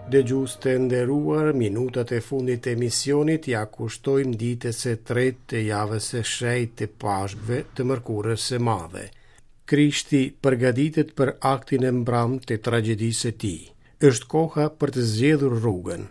Dëgjues të nderuar, minutat e fundit të emisionit ia kushtojmë ditës së tretë të javës së shenjtë të Pashkëve të Mërkurës së Madhe. Krishti përgatitet për aktin e mbramë të tragjedisë së tij. Është koha për të zgjedhur rrugën.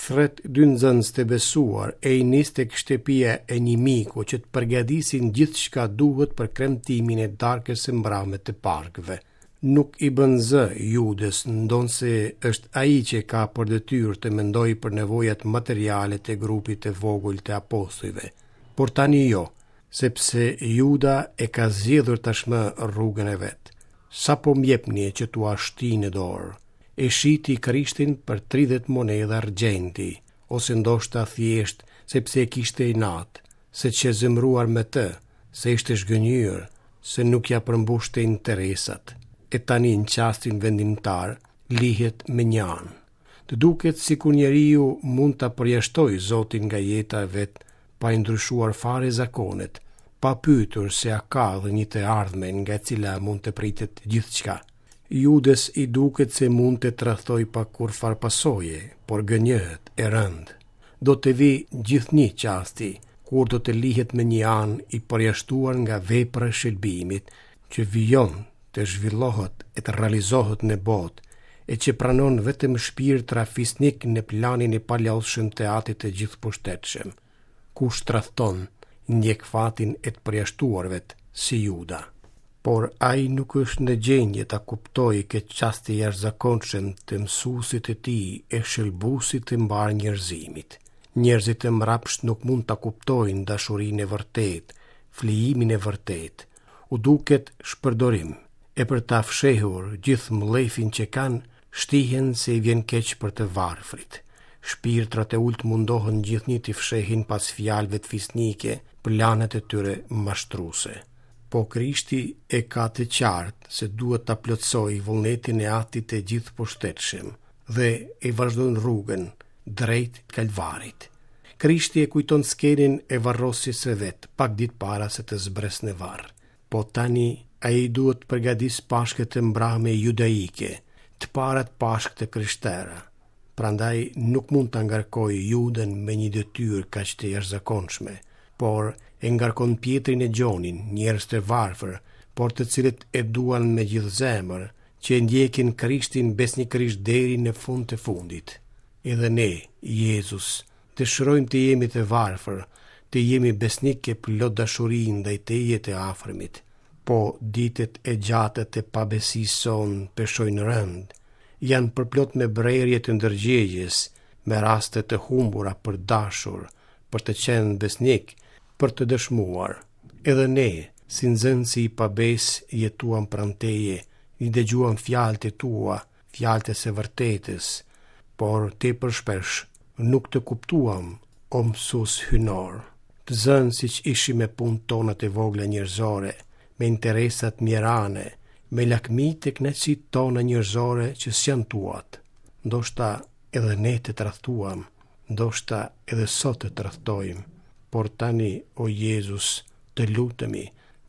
Thërret dy nxënës të besuar e i nis tek shtëpia e një miku që të përgatisin gjithçka duhet për kremtimin e darkës së mbrame të Pashkëve. Nuk i bën zë Judës, ndonëse është ai që ka për detyrë të mendojë për nevojat materiale të grupit të vogël të apostujve. Por tani jo, sepse Juda e ka zgjedhur tashmë rrugën e vet. Sa po më jepni që t'ua shti në dorë? E shiti Krishtin për 30 monedha argjendi, ose ndoshta thjesht sepse e kishte inat, se qe zemëruar me të, se ishte zhgënjyer, se nuk ia përmbushte interesat, e tani në çastin vendimtar lihet mënjanë. Të duket sikur njeriu mund ta përjashtojë Zotin nga jeta e vet pa i ndryshuar fare zakonet, pa pyetur se a ka dhe një të ardhme nga e cila mund të pritet gjithçka. Judës i duket se mund të tradhtojë pa kurrfarë pasoje, por gënjehet e rëndë. Do të vijë gjithnjë çasti, kur do të lihet mënjanë i përjashtuar nga vepra e shëlbimit, që vijon të zhvillohet e të realizohet në botë, e që pranon vetëm shpirtra fisnikë në planin e palodhshëm të Atit të Gjithëpushtetshëm. Kush tradhton, ndjek fatin e të përjashtuarve, si Juda. Por ai nuk është në gjendje ta kuptojë këtë çast të jashtëzakonshëm të mësuesit të tij e shëlbuesit të mbarë njerëzimit. Njerëzit e mbrapshtë nuk mund ta kuptojnë dashurinë e vërtetë, flijimin e vërtetë. U duket shpërdorim, e për ta fshehur gjithë mllefin që kanë, shtihen se i vjen keq për të varfrit. Shpirtrat e ulët mundohen gjithnjë t'i fshehin pas fjalëve fisnike planet e tyre mashtruese. Po Krishti e ka të qartë se duhet ta plotësojë vullnetin e Atit të Gjithëpushtetshëm dhe e vazhdon rrugën drejt Kalvarit. Krishti e kujton skenën e varrosjes së vet pak ditë para se të zbresë në varr. Po tani ai duhet të përgatisë Pashkët e mbrame judaike, të parat Pashkë të krishtera. Prandaj nuk mund ta ngarkojë Judën me një detyrë kaq të jashtëzakonshme, por e ngarkon Pjetrin e Gjonin, njerëz të varfër, por të cilët e duan me gjithë zemër, që e ndjekin Krishtin besnikërisht deri në fund të fundit. Edhe ne, Jezus, dëshirojmë të jemi të varfër, të jemi besnikë e plot dashuri ndaj teje e të afërmit. Po ditët e gjata të pabesisë sonë peshojnë rëndë, janë përplot me brerje të ndërgjegjes, me raste të humbura për dashur, për të qenë besnik, për të dëshmuar. Edhe ne, si nxënësi i pabesë, jetuam pranë teje, i dëgjuam fjalët e tua, fjalët e së vërtetës, por tepër shpesh nuk të kuptuam, o mësues hyjnor. Të zënë siç ishim me punët tona të vogla njerëzore, me interesat mjerane, me lakmitë e kënaqësitë tona njerëzore që s'janë tuat. Ndoshta edhe ne të tradhtuam, ndoshta edhe sot të tradhtojmë, por tani, o Jezus, të lutemi,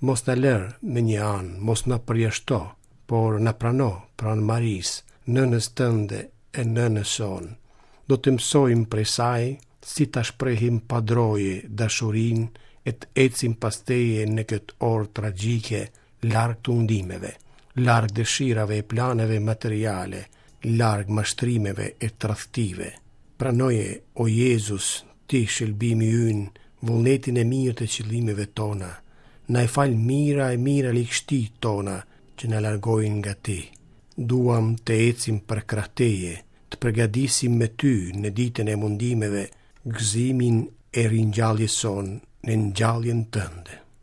mos na lër mënjanë, mos na përjashto, por na prano pranë Marisë, nënës tënde e nënës sonë. Do të mësojmë prej saj si ta shprehim pa droje dashurinë e të ecim pas teje në këtë orë tragjike, larg tundimeve, larg dëshirave e planeve materiale, larg mashtrimeve e tradhtive. Pranoje, o Jezus, ti shëlbimi ynë, vullnetin e mirë të qëllimeve tona. Na i fal mijëra e mijëra ligështitë tona që na largojnë nga ti. Duam të ecim përkrah teje, të përgatisim me ty në ditën e mundimeve gëzimin e ringjalljes sonë në ngjalljen tënde.